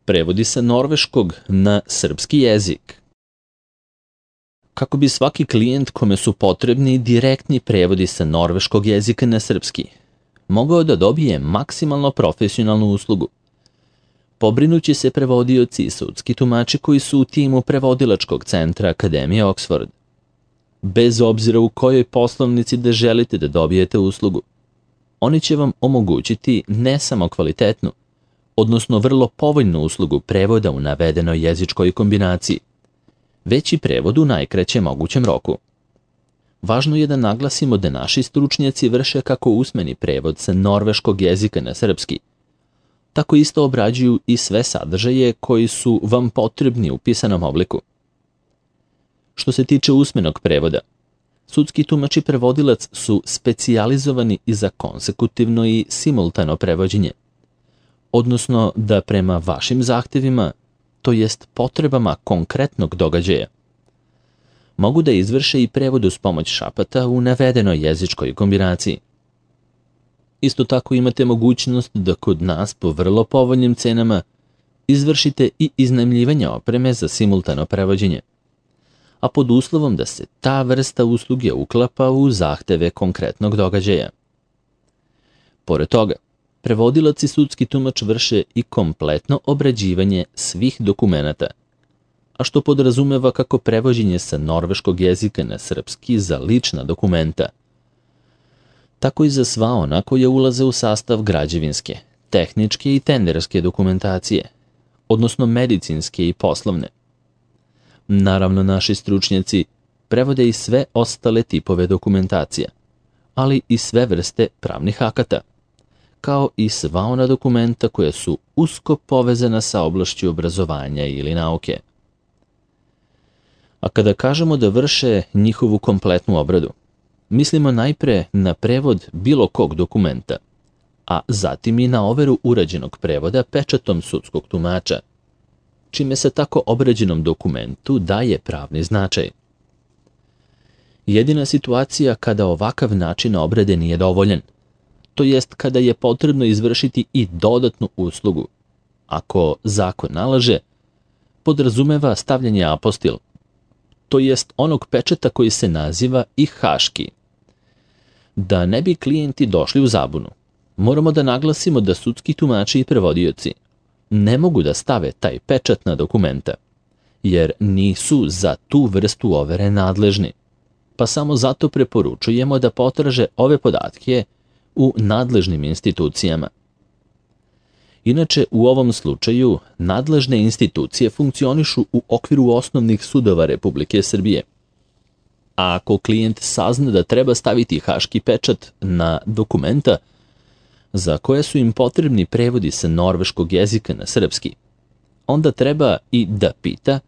Prevodi sa norveškog na srpski jezik. Kako bi svaki klijent kome su potrebni direktni prevodi sa norveškog jezika na srpski mogao da dobije maksimalno profesionalnu uslugu, pobrinuće se prevodioci i sudski tumači koji su u timu prevodilačkog centra Akademije Oxford. Bez obzira u kojoj poslovnici da želite da dobijete uslugu, oni će vam omogućiti ne samo kvalitetnu, odnosno vrlo povoljnu uslugu prevoda u navedenoj jezičkoj kombinaciji, već i prevod u najkraćem mogućem roku. Važno je da naglasimo da naši stručnjaci vrše kako usmeni prevod sa norveškog jezika na srpski, tako isto obrađuju i sve sadržaje koji su vam potrebni u pisanom obliku. Što se tiče usmenog prevoda, sudski tumač i prevodilac su specijalizovani i za konsekutivno i simultano prevođenje, odnosno da prema vašim zahtevima, to jest potrebama konkretnog događaja, mogu da izvrše i prevod uz pomoć šapata u navedenoj jezičkoj kombinaciji. Isto tako imate mogućnost da kod nas po vrlo povoljnim cenama izvršite i iznajmljivanje opreme za simultano prevođenje, a pod uslovom da se ta vrsta usluge uklapa u zahteve konkretnog događaja. Pored toga, prevodilac i sudski tumač vrše i kompletno obrađivanje svih dokumenata, a što podrazumeva kako prevođenje sa norveškog jezika na srpski za lična dokumenta, tako i za sva ona koja ulaze u sastav građevinske, tehničke i tenderske dokumentacije, odnosno medicinske i poslovne. Naravno, naši stručnjaci prevode i sve ostale tipove dokumentacija, ali i sve vrste pravnih akata, kao i sva ona dokumenta koja su usko povezana sa oblašću obrazovanja ili nauke. A kada kažemo da vrše njihovu kompletnu obradu, mislimo najpre na prevod bilo kog dokumenta, a zatim i na overu urađenog prevoda pečatom sudskog tumača, čime se tako obrađenom dokumentu daje pravni značaj. Jedina situacija kada ovakav način obrade nije dovoljan, to jest kada je potrebno izvršiti i dodatnu uslugu, ako zakon nalaže, podrazumeva stavljanje apostil, to jest onog pečata koji se naziva i haški. Da ne bi klijenti došli u zabunu, moramo da naglasimo da sudski tumači i prevodioci ne mogu da stave taj pečat na dokumenta, jer nisu za tu vrstu overe nadležni, pa samo zato preporučujemo da potraže ove podatke u nadležnim institucijama. Inače, u ovom slučaju, nadležne institucije funkcionišu u okviru osnovnih sudova Republike Srbije. A ako klijent sazna da treba staviti haški pečat na dokumenta za koje su im potrebni prevodi sa norveškog jezika na srpski, onda treba i da pita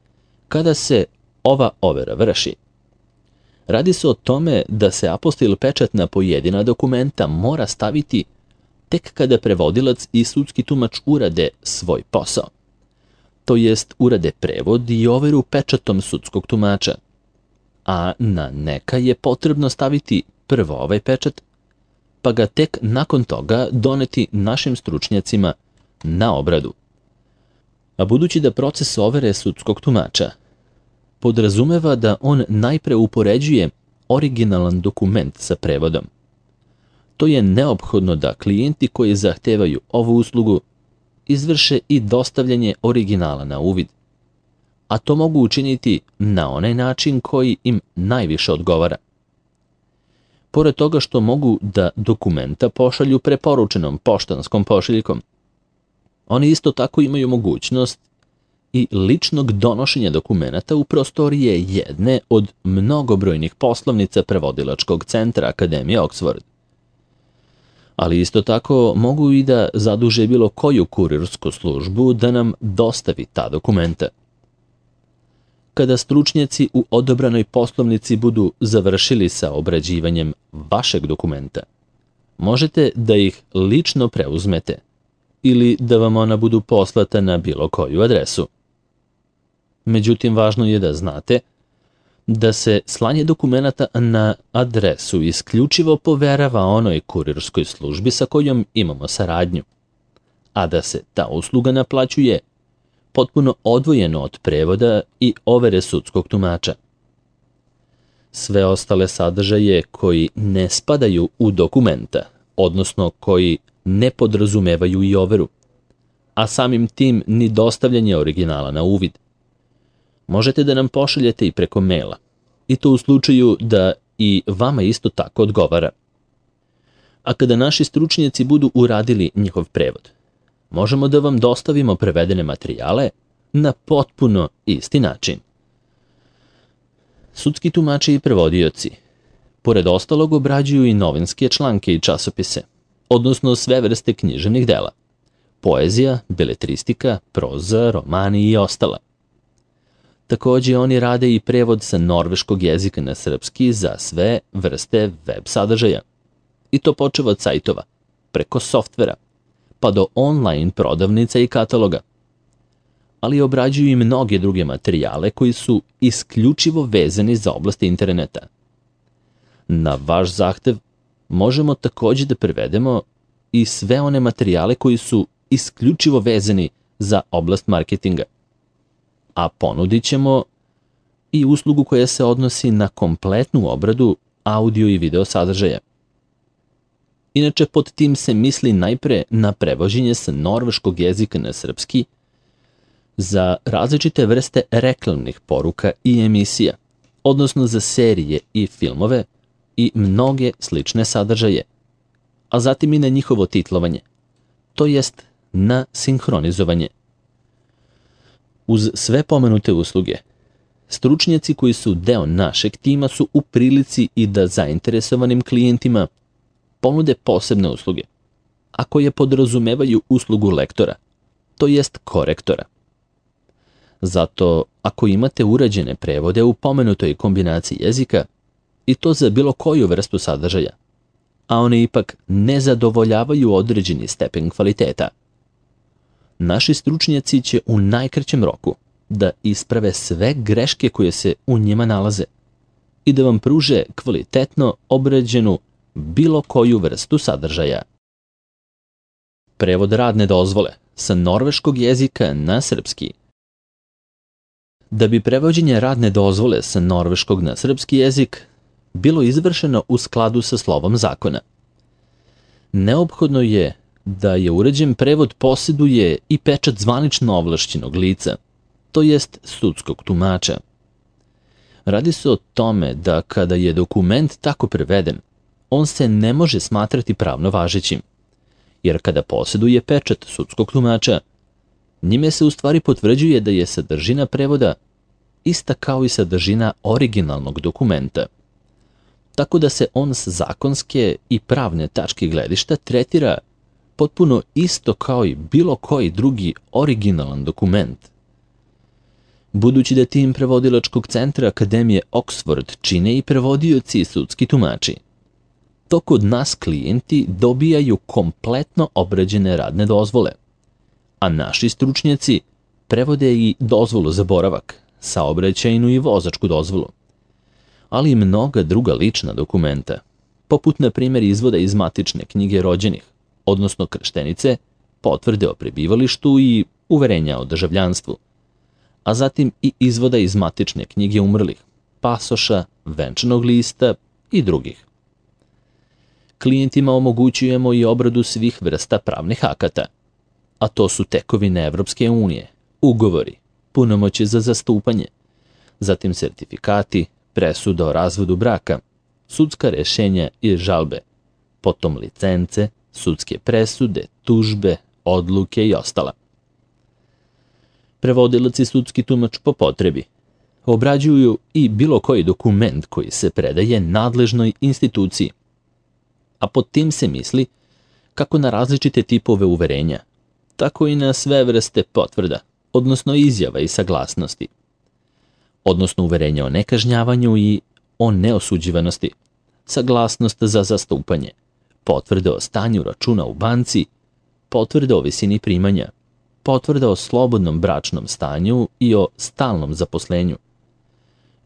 kada se ova overa vrši. Radi se o tome da se apostil pečat na pojedina dokumenta mora staviti tek kada prevodilac i sudski tumač urade svoj posao, to jest urade prevod i overu pečatom sudskog tumača, a na neka je potrebno staviti prvo ovaj pečat, pa ga tek nakon toga doneti našim stručnjacima na obradu. A budući da proces overe sudskog tumača podrazumeva da on najpre upoređuje originalan dokument sa prevodom, to je neophodno da klijenti koji zahtevaju ovu uslugu izvrše i dostavljanje originala na uvid, a to mogu učiniti na onaj način koji im najviše odgovara. Pored toga što mogu da dokumenta pošalju preporučenom poštanskom pošiljkom, oni isto tako imaju mogućnost i ličnog donošenja dokumenata u prostorije jedne od mnogobrojnih poslovnica prevodilačkog centra Akademije Oxford. Ali isto tako mogu i da zaduže bilo koju kurirsku službu da nam dostavi ta dokumenta. Kada stručnjaci u odobranoj poslovnici budu završili sa obrađivanjem vašeg dokumenta, možete da ih lično preuzmete ili da vam ona budu poslata na bilo koju adresu. Međutim, važno je da znate da se slanje dokumenata na adresu isključivo poverava onoj kurirskoj službi sa kojom imamo saradnju, a da se ta usluga naplaćuje potpuno odvojeno od prevoda i overe sudskog tumača. Sve ostale sadržaje koji ne spadaju u dokumenta, odnosno koji ne podrazumevaju i overu, a samim tim ni dostavljanje originala na uvid. Možete da nam pošaljete i preko maila, i to u slučaju da i vama isto tako odgovara. A kada naši stručnjaci budu uradili njihov prevod, možemo da vam dostavimo prevedene materijale na potpuno isti način. Sudski tumači i prevodioci, pored ostalog, obrađuju i novinske članke i časopise, odnosno sve vrste književnih dela, poezija, beletristika, proza, romani i ostala. Takođe, oni rade i prevod sa norveškog jezika na srpski za sve vrste web sadržaja. I to počeva od sajtova, preko softvera, pa do online prodavnica i kataloga. Ali obrađuju i mnoge druge materijale koji su isključivo vezani za oblast interneta. Na vaš zahtev možemo takođe da prevedemo i sve one materijale koji su isključivo vezani za oblast marketinga. A ponudit ćemo i uslugu koja se odnosi na kompletnu obradu audio i video sadržaja. Inače, pod tim se misli najpre na prevođenje sa norveškog jezika na srpski za različite vrste reklamnih poruka i emisija, odnosno za serije i filmove i mnoge slične sadržaje, a zatim i na njihovo titlovanje, to jest na sinhronizovanje. Uz sve pomenute usluge, stručnjaci koji su deo našeg tima su u prilici i da zainteresovanim klijentima ponude posebne usluge, a koje podrazumevaju uslugu lektora, to jest korektora. Zato, ako imate urađene prevode u pomenutoj kombinaciji jezika, i to za bilo koju vrstu sadržaja, a one ipak ne zadovoljavaju određeni stepen kvaliteta, naši stručnjaci će u najkraćem roku da isprave sve greške koje se u njima nalaze i da vam pruže kvalitetno obrađenu bilo koju vrstu sadržaja. Prevod radne dozvole sa norveškog jezika na srpski. Da bi prevođenje radne dozvole sa norveškog na srpski jezik bilo izvršeno u skladu sa slovom zakona, neophodno je da je uređen prevod posjeduje i pečat zvanično ovlašćenog lica, to jest sudskog tumača. Radi se o tome da kada je dokument tako preveden, on se ne može smatrati pravno važećim, jer kada posjeduje pečat sudskog tumača, njime se u stvari potvrđuje da je sadržina prevoda ista kao i sadržina originalnog dokumenta, tako da se on s zakonske i pravne tačke gledišta tretira potpuno isto kao i bilo koji drugi originalan dokument. Budući da tim prevodilačkog centra Akademije Oxford čine i prevodioci i sudski tumači, to kod nas klijenti dobijaju kompletno obrađene radne dozvole, a naši stručnjaci prevode i dozvolu za boravak, saobraćajnu i vozačku dozvolu, ali i mnoga druga lična dokumenta, poput na primjer izvoda iz matične knjige rođenih, odnosno krštenice, potvrde o prebivalištu i uverenja o državljanstvu, a zatim i izvoda iz matične knjige umrlih, pasoša, venčanog lista i drugih. Klijentima omogućujemo i obradu svih vrsta pravnih akata, a to su tekovine Evropske unije, ugovori, punomoći za zastupanje, zatim sertifikati, presuda o razvodu braka, sudska rešenja i žalbe, potom licence, sudske presude, tužbe, odluke i ostala. Prevodilac i sudski tumač po potrebi obrađuju i bilo koji dokument koji se predaje nadležnoj instituciji, a pod tim se misli kako na različite tipove uverenja, tako i na sve vrste potvrda, odnosno izjava i saglasnosti, odnosno uverenja o nekažnjavanju i o neosuđivanosti, saglasnost za zastupanje, potvrde o stanju računa u banci, potvrde o visini primanja, potvrda o slobodnom bračnom stanju i o stalnom zaposlenju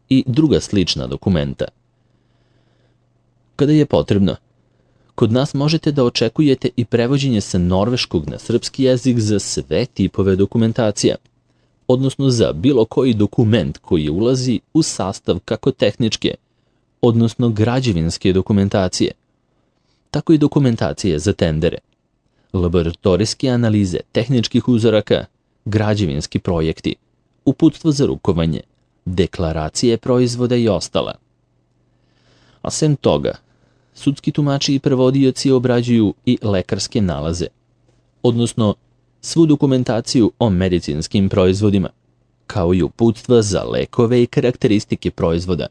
i druga slična dokumenta. Kada je potrebno, kod nas možete da očekujete i prevođenje sa norveškog na srpski jezik za sve tipove dokumentacija, odnosno za bilo koji dokument koji ulazi u sastav kako tehničke, odnosno građevinske dokumentacije, tako i dokumentacije za tendere, laboratorijske analize tehničkih uzoraka, građevinski projekti, uputstvo za rukovanje, deklaracije proizvoda i ostala. A sem toga, sudski tumači i prevodioci obrađuju i lekarske nalaze, odnosno svu dokumentaciju o medicinskim proizvodima, kao i uputstva za lekove i karakteristike proizvoda,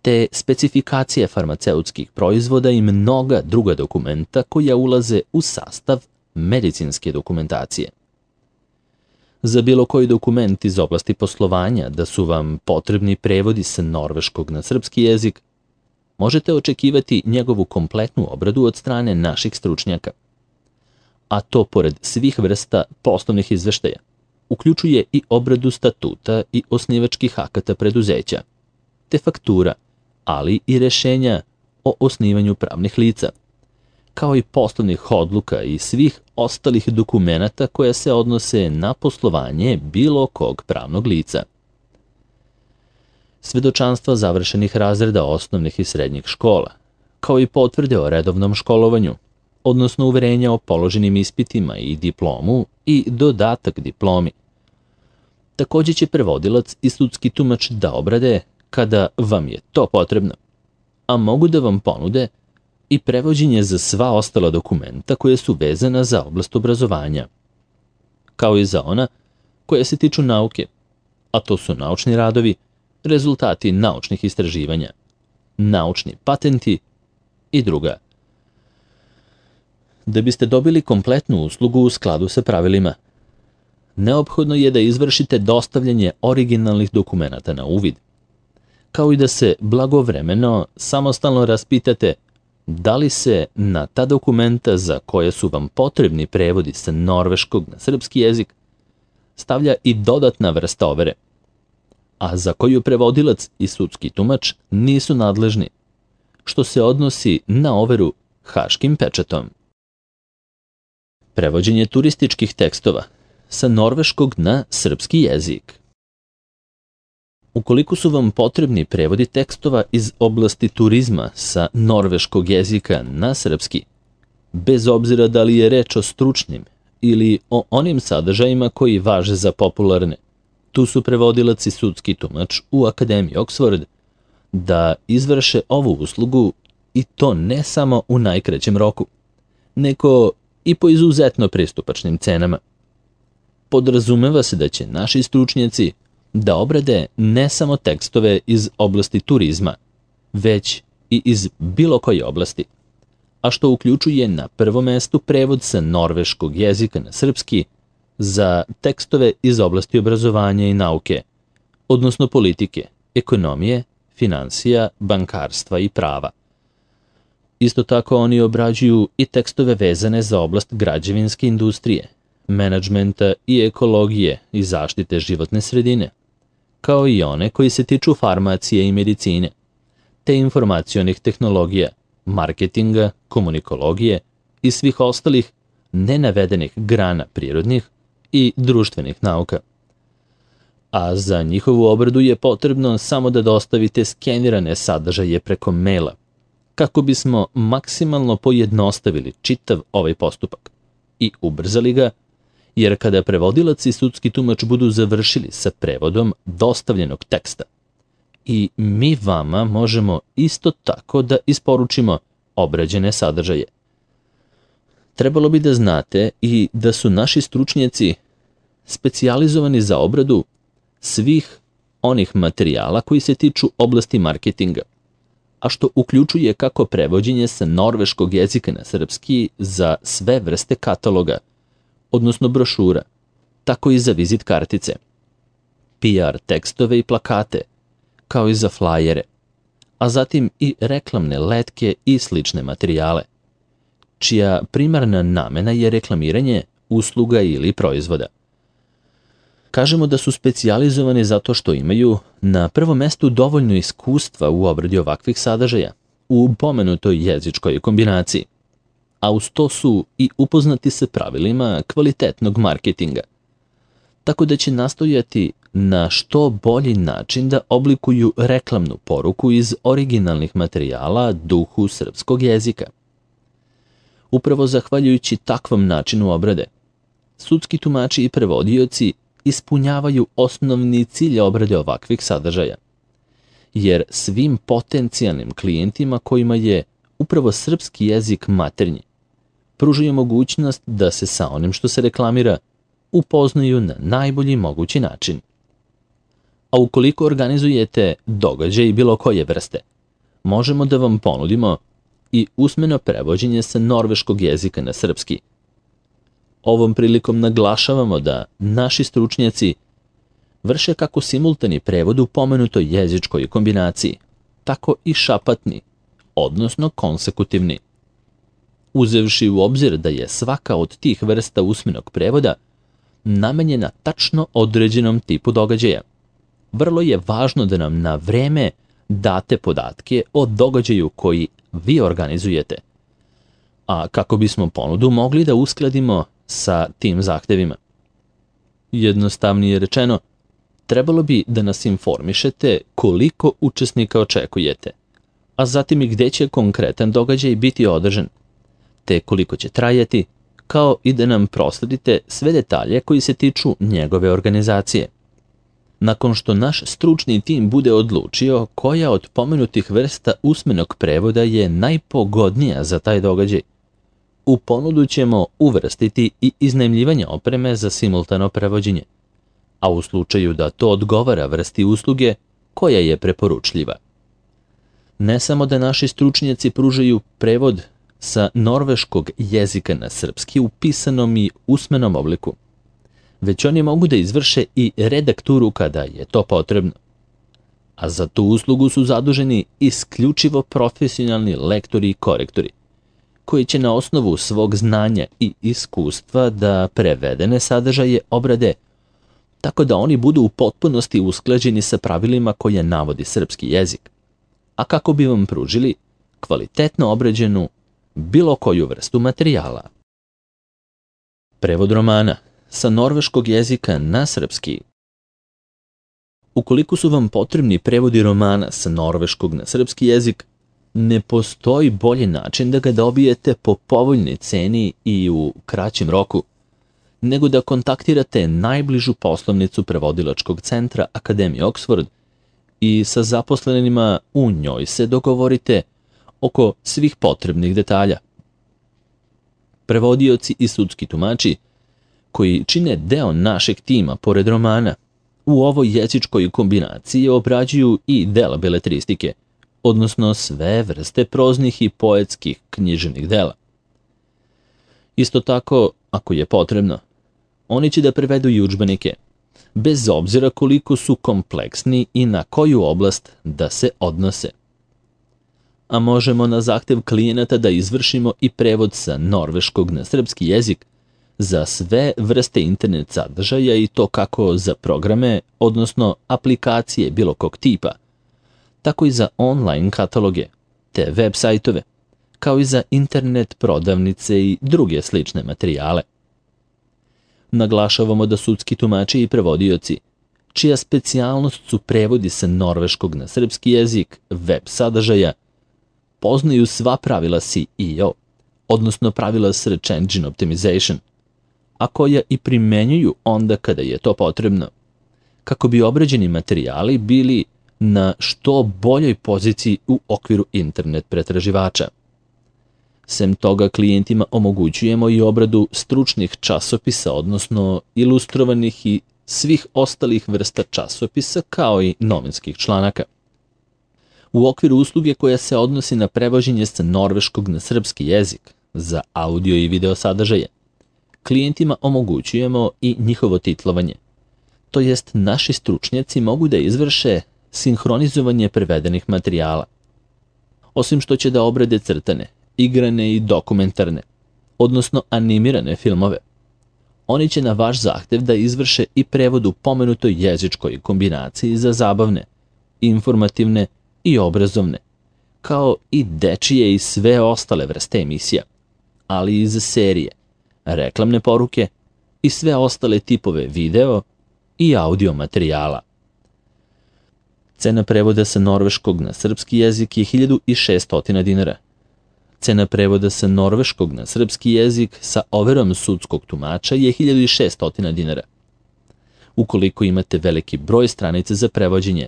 te specifikacije farmaceutskih proizvoda i mnoga druga dokumenta koja ulaze u sastav medicinske dokumentacije. Za bilo koji dokument iz oblasti poslovanja da su vam potrebni prevodi sa norveškog na srpski jezik, možete očekivati njegovu kompletnu obradu od strane naših stručnjaka. A to pored svih vrsta poslovnih izveštaja, uključuje i obradu statuta i osnivačkih akata preduzeća, te faktura, ali i rešenja o osnivanju pravnih lica, kao i poslovnih odluka i svih ostalih dokumenata koja se odnose na poslovanje bilo kog pravnog lica. Svedočanstva završenih razreda osnovnih i srednjih škola, kao i potvrde o redovnom školovanju, odnosno uverenja o položenim ispitima i diplomu i dodatak diplomi. Takođe će prevodilac i sudski tumač da obrade kada vam je to potrebno, a mogu da vam ponude i prevođenje za sva ostala dokumenta koje su vezana za oblast obrazovanja, kao i za ona koja se tiču nauke, a to su naučni radovi, rezultati naučnih istraživanja, naučni patenti i druga. Da biste dobili kompletnu uslugu u skladu sa pravilima, neophodno je da izvršite dostavljanje originalnih dokumenata na uvid, kao i da se blagovremeno samostalno raspitate da li se na ta dokumenta za koje su vam potrebni prevodi sa norveškog na srpski jezik stavlja i dodatna vrsta overe, a za koju prevodilac i sudski tumač nisu nadležni, što se odnosi na overu haškim pečatom. Prevođenje turističkih tekstova sa norveškog na srpski jezik. Ukoliko su vam potrebni prevodi tekstova iz oblasti turizma sa norveškog jezika na srpski, bez obzira da li je reč o stručnim ili o onim sadržajima koji važe za popularne, tu su prevodilac i sudski tumač u Akademiji Oxford da izvrše ovu uslugu i to ne samo u najkraćem roku, nego i po izuzetno pristupačnim cenama. Podrazumeva se da će naši stručnjaci da obrade ne samo tekstove iz oblasti turizma, već i iz bilo koje oblasti, a što uključuje na prvom mestu prevod sa norveškog jezika na srpski za tekstove iz oblasti obrazovanja i nauke, odnosno politike, ekonomije, finansija, bankarstva i prava. Isto tako oni obrađuju i tekstove vezane za oblast građevinske industrije, menadžmenta i ekologije i zaštite životne sredine, kao i one koji se tiču farmacije i medicine, te informacionih tehnologija, marketinga, komunikologije i svih ostalih nenavedenih grana prirodnih i društvenih nauka. A za njihovu obradu je potrebno samo da dostavite skenirane sadržaje preko maila, kako bismo maksimalno pojednostavili čitav ovaj postupak i ubrzali ga, jer kada prevodilac i sudski tumač budu završili sa prevodom dostavljenog teksta, i mi vama možemo isto tako da isporučimo obrađene sadržaje. Trebalo bi da znate i da su naši stručnjaci specijalizovani za obradu svih onih materijala koji se tiču oblasti marketinga, a što uključuje kako prevođenje sa norveškog jezika na srpski za sve vrste kataloga, odnosno brošura, tako i za vizit kartice, PR tekstove i plakate, kao i za flajere, a zatim i reklamne letke i slične materijale, čija primarna namena je reklamiranje usluga ili proizvoda. Kažemo da su specijalizovani zato što imaju na prvom mestu dovoljno iskustva u obradi ovakvih sadržaja u pomenutoj jezičkoj kombinaciji, a uz to su i upoznati sa pravilima kvalitetnog marketinga. tako da će nastojati na što bolji način da oblikuju reklamnu poruku iz originalnih materijala duhu srpskog jezika. Upravo zahvaljujući takvom načinu obrade, sudski tumači i prevodioci ispunjavaju osnovni cilj obrade ovakvih sadržaja, jer svim potencijalnim klijentima kojima je upravo srpski jezik maternji, pružaju mogućnost da se sa onim što se reklamira upoznaju na najbolji mogući način. A ukoliko organizujete događaj bilo koje vrste, možemo da vam ponudimo i usmeno prevođenje sa norveškog jezika na srpski. Ovom prilikom naglašavamo da naši stručnjaci vrše kako simultani prevod u pomenutoj jezičkoj kombinaciji, tako i šapatni, odnosno konsekutivni. Uzevši u obzir da je svaka od tih vrsta usmenog prevoda namenjena tačno određenom tipu događaja, vrlo je važno da nam na vreme date podatke o događaju koji vi organizujete, a kako bismo ponudu mogli da uskladimo sa tim zahtevima. Jednostavnije rečeno, trebalo bi da nas informišete koliko učesnika očekujete, a zatim i gde će konkretan događaj biti održan, te koliko će trajati, kao i da nam prosledite sve detalje koji se tiču njegove organizacije. Nakon što naš stručni tim bude odlučio koja od pomenutih vrsta usmenog prevoda je najpogodnija za taj događaj, u ponudu ćemo uvrstiti i iznajmljivanje opreme za simultano prevođenje, a u slučaju da to odgovara vrsti usluge koja je preporučljiva. Ne samo da naši stručnjaci pružaju prevod sa norveškog jezika na srpski u pisanom i usmenom obliku, već oni mogu da izvrše i redakturu kada je to potrebno. A za tu uslugu su zaduženi isključivo profesionalni lektori i korektori, koji će na osnovu svog znanja i iskustva da prevedene sadržaje obrade, tako da oni budu u potpunosti usklađeni sa pravilima koje navodi srpski jezik, a kako bi vam pružili kvalitetno obrađenu bilo koju vrstu materijala. Prevod romana sa norveškog jezika na srpski. Ukoliko su vam potrebni prevodi romana sa norveškog na srpski jezik, ne postoji bolji način da ga dobijete po povoljnoj ceni i u kraćem roku, nego da kontaktirate najbližu poslovnicu prevodilačkog centra Akademije Oxford i sa zaposlenima u njoj se dogovorite oko svih potrebnih detalja. Prevodioci i sudski tumači, koji čine deo našeg tima pored romana, u ovoj jezičkoj kombinaciji obrađuju i dela beletristike, odnosno sve vrste proznih i poetskih književnih dela. Isto tako, ako je potrebno, oni će da prevedu i udžbenike, bez obzira koliko su kompleksni i na koju oblast da se odnose. A možemo na zahtev klijenata da izvršimo i prevod sa norveškog na srpski jezik za sve vrste internet sadržaja i to kako za programe, odnosno aplikacije bilo kog tipa, tako i za online kataloge, te web sajtove, kao i za internet prodavnice i druge slične materijale. Naglašavamo da sudski tumači i prevodioci, čija specijalnost su prevodi sa norveškog na srpski jezik web sadržaja, poznaju sva pravila SEO, odnosno pravila Search Engine Optimization, a koja i primenjuju onda kada je to potrebno, kako bi obrađeni materijali bili na što boljoj poziciji u okviru internet pretraživača. Sem toga, klijentima omogućujemo i obradu stručnih časopisa, odnosno ilustrovanih i svih ostalih vrsta časopisa, kao i novinskih članaka. U okviru usluge koja se odnosi na prevođenje sa norveškog na srpski jezik za audio i video sadržaje, klijentima omogućujemo i njihovo titlovanje, to jest naši stručnjaci mogu da izvrše sinhronizovanje prevedenih materijala. Osim što će da obrade crtane, igrane i dokumentarne, odnosno animirane filmove, oni će na vaš zahtev da izvrše i prevod u pomenutoj jezičkoj kombinaciji za zabavne, informativne i obrazovne, kao i dečije i sve ostale vrste emisija, ali i za serije, reklamne poruke i sve ostale tipove video i audio materijala. Cena prevoda sa norveškog na srpski jezik je 1600 dinara. Cena prevoda sa norveškog na srpski jezik sa overom sudskog tumača je 1600 dinara. Ukoliko imate veliki broj stranica za prevođenje,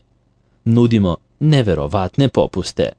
nudimo neverovatne popuste.